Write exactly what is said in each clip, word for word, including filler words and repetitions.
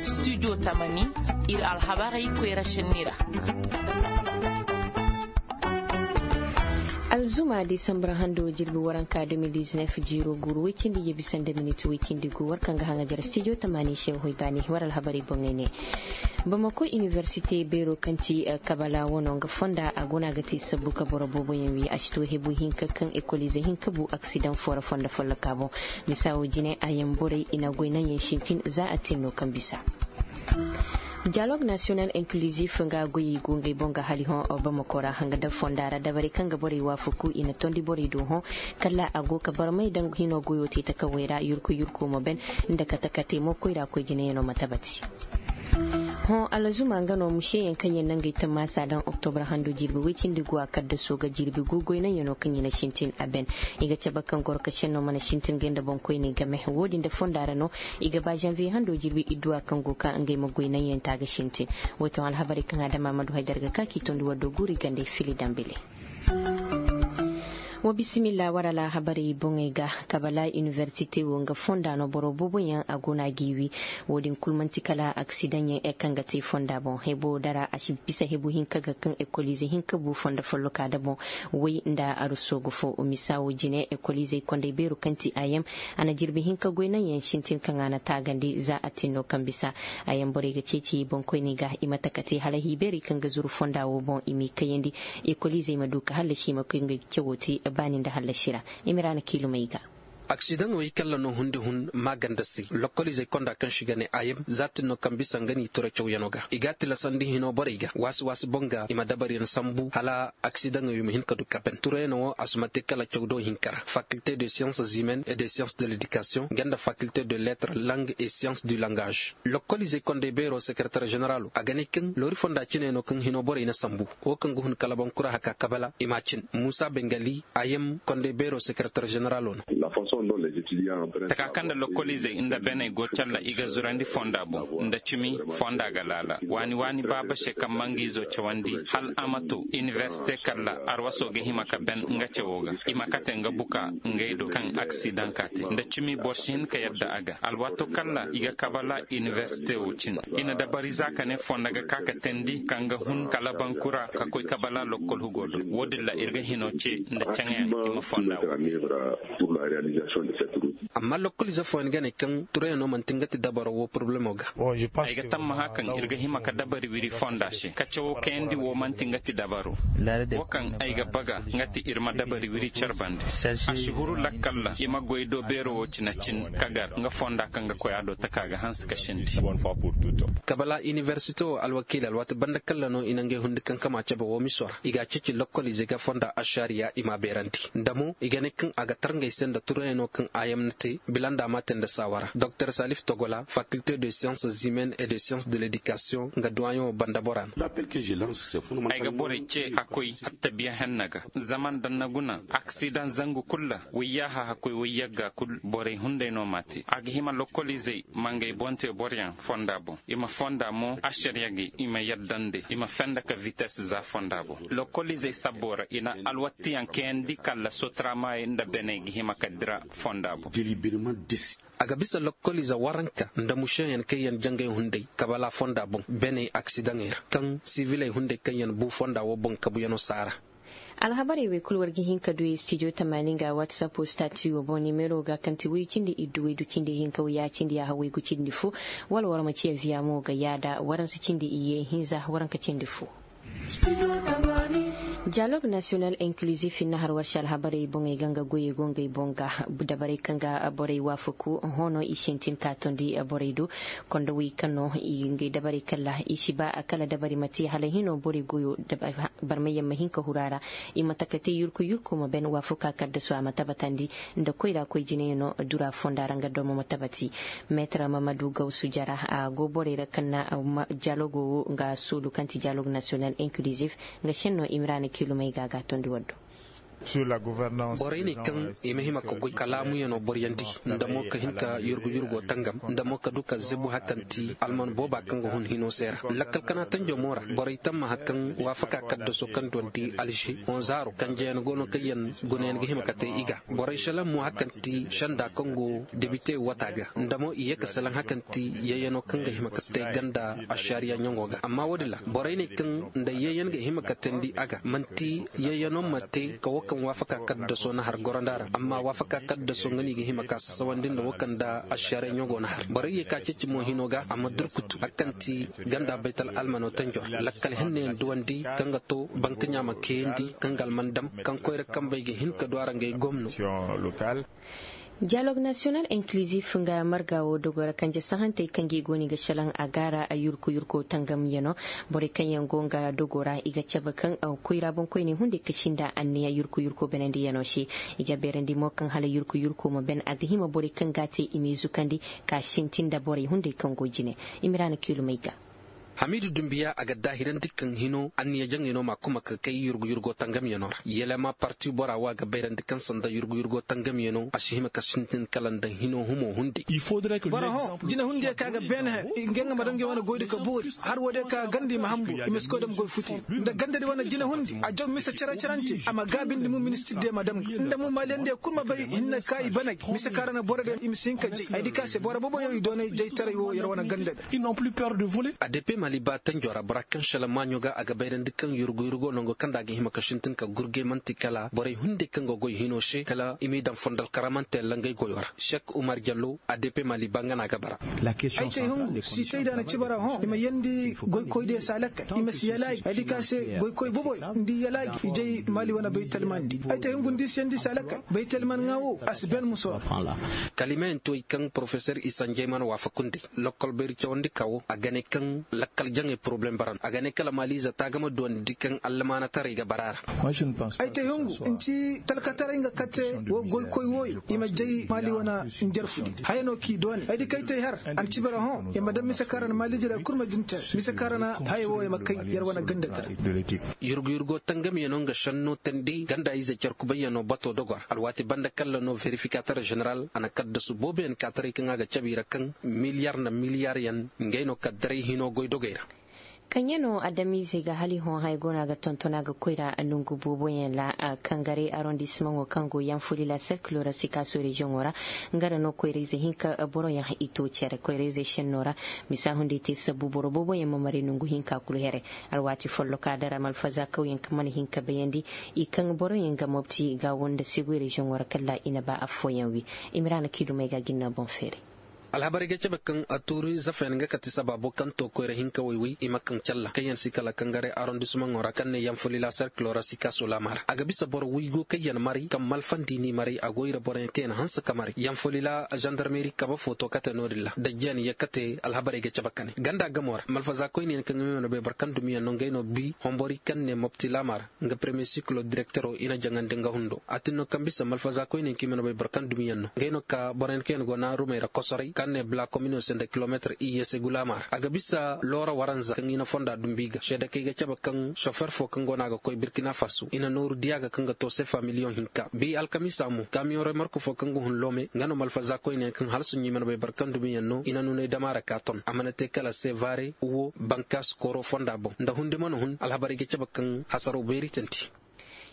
Studio tamani, iri alhabarey koyra senni ra. Alzuma disambra hando jirbi waranka deux mille dix-neuf, jiiro guuru way cindi ye bisa nda miniti way cindi gu war kaŋ ga haŋajar studio tamani se hoy baani war alhabarey boŋey ne. Bamako iniversite beero kaŋ ti kabala wano nga fonda a go no a ga te sabbu ka boro boobo yaŋ wi a si to hebu hinka kaŋ ekolize hinka bu aksidaŋ fo ra fondo folloka boŋ. Misa wo jine a yaŋ borey i na goy naŋ yaŋ sintin za a tin no kaŋ bisa. Dialogue national inclusif nga goyey go ngey boŋ ga hali hõ bamako ra hanga da fonda ra dabarey kaŋ ga borey waafaku i na tondi borey do hõ. Kala a go ka barmay daŋ hino goyo te takawey ra yurku yurku ma ben nda kate kate mo koyra koy jinayaŋo ma tabati. Hõ alzuma nga no museyaŋ kaŋ yaŋ nangey tammaasa daŋ oktobra hando jirbi way cindi gu a kaddaso ga jirbi gu goynaŋyaŋo kaŋ i na sintin a ben. I ga cabe kaŋ goro ka senno mana sintin ga nda boŋkoyney game wo- din da fonda ra no. I ga ba janvier hando jirbi idduwa kaŋ go ka ngey ma goynaŋyaŋ ta ga sintin. Wo- din alhabarey kaŋ adama ma du haydar ga ka k'i tondi waddo guuri gandey fili dambile. Wa bisimilla wara alhabarey boŋey ga. Kabala iniversite wo nga fonda no boro boobo yaŋ a go no a g'i wi. Wo- din kulu manti kala aksidaŋ yaŋ kaŋ ga te fonda boŋ hebo dara a si bisa hebu hinka ga kaŋ ekolize hinka bu fondo folloka da boŋ. Way nda aruso ga fo misa wo jine ekolize kondey beero kaŋ ti a yaŋ a na jirbi hinka goy naŋ yaŋ sintin kaŋ a na taagandi za a tinno kaŋ bisa. A yaŋ borey ga ceeci boŋkoyney ga i ma taka te hala hiibeerey kaŋ ga zuru fonda wo boŋ i m'i kayandi. Ekoliizey ma du ka hallasi i ma koy ngey ga cawo te baani nda hallasi ra. Imiraana kiilumey ga. Aksidaŋo i kalla no hundi hun maaganda se lokkoliizey konda kaŋ si ga ne a yam za tinno kaŋ bisa nga n'i toro cawyaŋo ga i ga a tilasandi hino borey ga waasi waasi boŋ ga i ma dabariyaŋ sambu hala aksidaŋey ma hin ka du ka ban turayaŋo wo a si ma te kala caw do hinka ra faculté de sciences humaines et de sciences de l'éducation nga nda faculté de lettres langues et sciences du langage. Lokkoliizey kondey beero secrétaire généralo a ga ne kaŋ loori fonda cine no kaŋ hino borey na sambu wo kaŋ ga hun kala bankura haka kabala i m'a cin muusa bengali a yam kondey beero secrétaire généralo no. Taka kaŋ nda lokkoliizey nda beney go calla i ga zurandi fonda boŋ nda cimi fonda ga laala waani waani baaba se kaŋ ma nga izo cawandi hal a ma to iniversite kalla arwaso ga hima ka ben nga cawo ga i ma kate nga buka ngey do kaŋ aksidaŋ ka te nda cimi boro si hin ka yadda a ga alwaato kalla i ga kabala iniversite wo cine. I na dabari za ka ne fonda ga ka ka teendi kaŋ ga hun kala bankura ka koy kabala lokkol hugo do wo- din ra iri ga hino ce nda caŋayaŋ i ma fonda wo te. Amma lokkoliize fooyaŋ ga ne kaŋ turayaŋo manti nga ti dabaro wo porobalemo ga. Ay ga tammaha kaŋ iri ga hima ka dabari wiri fonda se ka cawo kayandi wo manti nga ti dabaro. Wo kaŋ ay ga baga nga ti iri ma dabari wiri care bande a si huru lakkal ra i ma goy do beero wo cine cin ka gar nga fonda kaŋ ga koy a do taka ga hanse ka sindi. Kabala iniversite wo alwakiila alwaati banda kalla no i na ngey hundi kankama cabe wo miso ra i ga a ceeci lokkoliize ga fonda ašariya i m'a beerandi nda mo i ga ne kaŋ a ga tar ngey se nda turayaŋo kaŋ a yam na te bila nda a m'a te nda saawara doktor salif togola faculté de sciences humaines et de sciences de l'éducation nga duwayaŋo banda bora no. Ay ga borey ce hakkoy attabiya henna ga zama nda ni na guna aksidaŋ zangu kulu ra wayyaaha hakkoy wayyagga kulu borey hunday no m'a te a ga hima lokkoliizey ma ngey boŋ te boroyaŋ fonda boŋ i ma fonda mo ašariya ga i ma yadda nda i ma fenda ka vitesse za fonda boŋ. Lokkoliizey sabbo ra i na alwattiyaŋ kayandi kala sotramaayey nda beney ga hima ka dira fonda boŋ. A ga bisa lokkoliize waranka nda mušeyaŋ kaŋ yaŋ jangay hunday kabala fonda boŋ beney aksidaŋey ra kaŋ siviley hunday kaŋ yaŋ bu fonda wo boŋ kabuyaŋo saara. Alhabarey wey kulu war ga hin ka du studio tamaani nga whatsapp stati wo boŋ nimero ga kaŋ ti way cindi iddu way du cindi hinka way ya cindi ya haway gu cindi fo. Wala war ma ciya viya mo ga yaada waransa cindi iyye hinza waranka cindi fo. Dialogue national inclusif hinna har war se alhabarey boŋey ga nga goyey go ngey boŋ ga dabarey kaŋ ga borey waafaku hõ no i sintin ka tondi borey do. Konda wey kaŋ no i ga ngey dabarey kala i si ba kala dabari ma te hala hino borey goyo barmay yaŋ ma hin ka huru a ra. I ma taka te yurku yurku ma ben waafaku a kala da su a ma tabatandi nda koyra koy jine no dura fonda ra nga domo ma tabati. Meetar mamadu gawsu jara a go borey ra kaŋ na dialogo wo nga suudu kaŋ ti dialogue national inclusif. Nga senno imrana kilumey ga ga tondi waddo. Borey ne kaŋ i ma hima ka goy ka laamuyaŋo boriyandi, nda mo ka hin ka yurgu yurgo tangam, nda mo ka du ka zebu hari kaŋ ti alman booba kaŋ ga hun hino se ra. Lakkal kana tanjo mo ra borey tamma hari kaŋ waafaka kaddaso kaŋ duwandi alze honzaaro kanjeyaŋ go no kaŋ yaŋ gunayaŋ ga hima ka te i ga. Borey selaŋ mo hari kaŋ ti senda kaŋ go debite wata ga, nda mo i ye ka selaŋ hari kaŋ ti yayyaŋo kaŋ ga hima ka te ganda ašariya ɲaŋo ga. Amma wo- din ra borey ne kaŋ nda yayyaŋ ga hima ka teendi a ga manti yayyaŋo ma te ka wo kaŋ waafaka kaddaso na har goranda ra, amma waafaka kaddaso nga no i ga hima ka sasawandi nda wo kaŋ nda ašariya ɲaŋo na har borey ye ka ceeci mo hino ga a ma durkutu hari kaŋ ti ganda baytal almano tanjo ra lakkal hinne yaŋ duwandi kaŋ ga to banka ɲaama kayandi kaŋ ga alman dam kaŋ koyra kambey ga hin ka du a ra ngey gomno. Dialogue national inclusif nga marga wo dogo ra kanje sahantey kaŋ ga i go no i ga salaŋ a gaara a yurku yurko tangamyaŋo. Borey kaŋ yaŋ go nga dogo ra i ga cabe kaŋ koyra boŋkoyney hunday ka sinda anniya yurku yurko banandiyaŋo se. I ga beerandi mo kaŋ hala yurku yurko ma ban a ga hima borey kaŋ ga a te i m'i zukandi ka sintin nda borey hunday kaŋ go jine. Imiraana kiilumey ga. Hamiidu dumbiya a ga daahirandi kaŋ hino anniya jaŋey no ma kuma ka kay yurgu yurgo tangamyaŋo ra yelema parti bora wo a ga bayrandi kaŋ sanda yurgu yurgo tangamyaŋo a si hima ka sintin kala nda hino humo hunde. Boro hõ jine hundiyaŋ kaŋ a ga beene hari ngey nga ma daŋ ngey wane goy da ka boori har wo- din kaŋ a ganda i ma hambu i ma si koy dama goy futi nda ganda din wane jine hundi a jaw mise care carante a ma gaabindi mo ministir diyaŋ ma dam ga nda mo maaliyaŋ diyaŋ kulu ma bay hinne kaŋ i baney mise kaŋ ra na boro din i ma si hin ka jay ay di kaŋ a se boro boobo yaŋ i doonay jaytaray wo yar wane ganda din. A d p mali ba tanjo ra bora kaŋ shala maaɲo ga a ga bayrandi kaŋ yurgu yurgo nango kaŋ nda a ga hima ka sintin ka gurgay manti kala borey hunday kaŋ ga goy hino se kala i m'i daŋ fondal karamante langay goyo ra sek umar jallo a d p mali ba nga no a ga bara. Ay te hungu si te i daŋ a na cibara hõ i ma yandi goykoy diya se a lakkal i ma si yalaaji ay di kaŋ a se goykoy boobo yaŋ nda i yalaaji i jay maali wane baytalmandi ay te hungu nda i si yandi i se a lakkal baytalman ŋa wo a si ben muso ra. Kalimeyaŋ to i kaŋ porofesor isanjey mana waafaku nd'ey lokkol bayri cawandi ka wo a ga ne kaŋ lakkal jaŋey poroblem bara no a ga ne kala maaliize taagama duwandi kaŋ allamaanataray ga bara a ra. Ay te hungu nci talkataray nga kate wo goykoy wooyo i ma jay maali wane njarfu di haya no k'i doone ay di kay te har a na cibara hõ i ma daŋ mise kaŋ ra na maaliije da kulu ma jin te mise kaŋ ra na haya wo i ma kay yar wane ganda tara. Yurgu yurgo tangamyaŋo nga sanno tandi ganda ize care kubayyaŋo bato dogor alwaati banda kalla no verifikator zeneral a na kaddasu booboyaŋ ka taray kaŋ a ga cabe i ra kaŋ miliyar nda miliyaryaŋ ngey no ka daray hino goy dogey ra. Kaŋ yaŋ no adamiizey ga hali hõ haya go no a ga tonton a ga koyra nongu booboyaŋ ra. Kangare arondisimaŋo kaŋ go yaŋ fo lila serkilo ra sikaaso reziyoŋo ra nga ra no koyrayze hinka boroyaŋ i to care koyrayze senno ra. Misa hunday te sabbu boro booboyaŋ ma maray nongu hinka kulu here. Alwaati folloka dara malfaza kawyaŋ kaŋ mana hin ka bayandi i kaŋ boroyaŋ ga mobti ga wo nda segoy reziyoŋo ra kala i na ba affooyaŋ wi. Imiraana k'i dumey ga jinna boŋ feeray. Alhabarey ga cabe kaŋ a tuuri zafeyaŋ nga kate sabaabo kaŋ to koyra hinka wayway i ma kaŋ calla kaŋ yaŋ si kala kangare arondisimaŋo ra kaŋ ne yaŋ folila serkilo ra si kaaso laama ra a ga bisa boro waygu kaŋ yaŋ maray kaŋ malfandi n'i maray a go i ra boroyaŋ kaŋ yaŋ hanse ka maray yaŋ folila zandarmeri kabe fo to kate no- din ra dajjayaŋ yaŋ kate alhabarey ga cabe ka ne ganda gamo ra malfaza koyne yaŋ kaŋ i ma no bay boro kaŋ dumiyaŋ no ngey no bi hombori kaŋ ne mobti laama ra. Nga premier siklo direktero i na jaŋandi nga hundo a tin no kaŋ bisa malfaza koyne kaŋ i mana bay boro kaŋ dumiyaŋ no ngey no ka boroyaŋ kaŋ yaŋ go naarumey ra kosoray kaŋ ne bla komino se nda kilometre iyye se gulaama ra a ga bisa loora waranza kaŋ i na fonda dumbi ga seeda kaŋ i ga cabe kaŋ sofer fo kaŋ go no a ga koy birkina faso i na nooru diya ga kaŋ ga to sefa miliyoŋ hinka bi alkamiisa mo kamiyoŋ remarku fo kaŋ ga hun loome nga no malfaza koyne yaŋ kaŋ hala suɲɲo i mana bay boro kaŋ dumiyaŋ no i na nunay dama ra ka ton a mana te kala sevare wo bankas kooro fonda boŋ nda hundi mana hun alhabarey ga cabe kaŋ hasaro beeri tandi.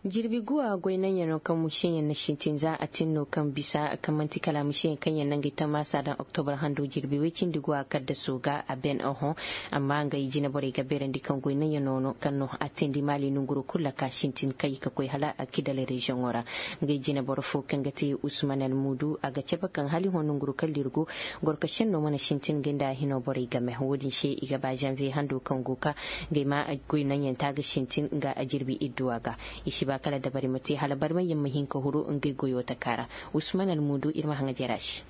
Jirbi guwa goy naŋ yaŋ no kaŋ museyaŋ na sintin za a tin no kaŋ bisa kaŋ manti kala museyaŋ kaŋ yaŋ naŋ ga i tammaasa daŋ oktobar hando jirbi way cindi guwa kaddaso ga a ben oho. Amma ngey jine borey ga beerandi kaŋ goy naŋ yaŋ no kaŋ no a teendi maali nonguro kulu ra ka sintin kay ka koy hala kidal reziyoŋo ra. Ngey jine boro fo kaŋ ga te usman almudu a ga cabe kaŋ hala i hõ nonguro kaŋ lirgo gorko senno mana sintin ngey nda a hino borey game wo- din se i ga ba zanviye hando kaŋ go ka ngey ma goy naŋ yaŋ ta ga sintin nga a jirbi idduwa ga. I si ba kala dabari ma te hala barmay yaŋ ma hin ka huru ngey goyo taka ra. Usman almudu iri ma haŋa jara se.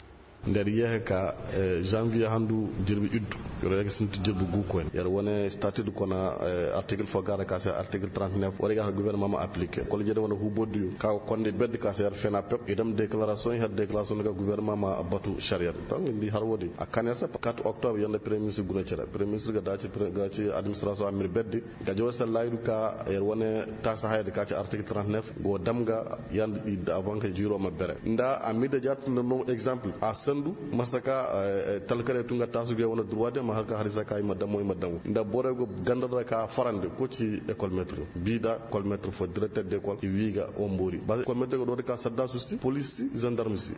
Nda yar yehe ka janvier handu jirbi iddu, yar yehe ga sinti jirbi gu koyne yar wane statut kona. Article fo ga ra ka se article trente-neuf wari ga har gouvernement ma appliquer kol jede wane hubo diyo ka ga konde bedde ka se yar fena pep idam déclaration har déclaration ga gouvernement ma batu shari'a. Donc ndi har wodi a kan yar se quatre octobre yanda premier ministre guna cere premier ministre ga dace ga ci administration amir bedde ga jawar sallayidu ka yar wane tasa hayadi ka ci article trente-neuf go damga yanda avant ka jiro ma bere nda amir da jatun da no exemple a sandu masaka talkare tunga tasu ga wane droit de ma haka harisa ka ima damo ima damo nda bore go gandar da ka farande ko ci école maître bida école maître fo directeur d'école wiga ombori ba école maître go do ka sadda su si police si gendarme si.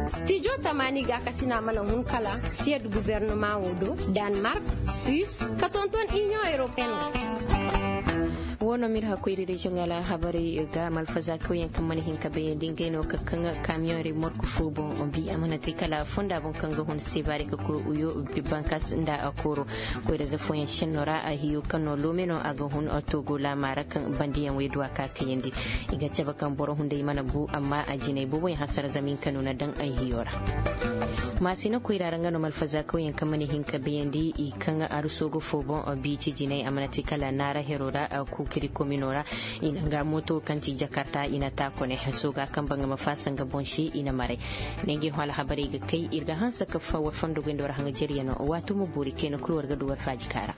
Studio tamani ga kasina mana hun kala siyad gouvernement wo do, Danemark, Suisse, ka tonton Union Européenne. Wono mir hakoyri région ala habaray ga malfaza kauyen kan mana hin ka bayandi ngay no ka kan camion re morku fo bon bi amana te kala fonda bon kan ga hun sebare ka ko uyo bankas nda akoro. Koyra za foyen shenno ra a hiyo kan no lomeno a ga hun togo lamara kan bandiyan wayduwa ka kayandi. I ga cabe kaŋ boro hunday mana bu amma a jinay booboyaŋ hasara zama hinka no na daŋ ay hiyo ra. Maasina koyra ra nga no malfaza kawyaŋ kaŋ mana hin ka bayandi i kaŋ aruso ga fo boŋ biiti jinay a mana te kala naara hero ra. Kukiri komino ra i na nga mooto kaŋ ti jakarta i na ta kone. Sooga kaŋ ba nga ma faasa nga boŋ se i na maray. Nenge hõ alhabarey ga kay iri ga hanse ka war fondo goyndo ra haŋ jariya no. Waato ma boori kayna kulu war ga du war faaji kaara.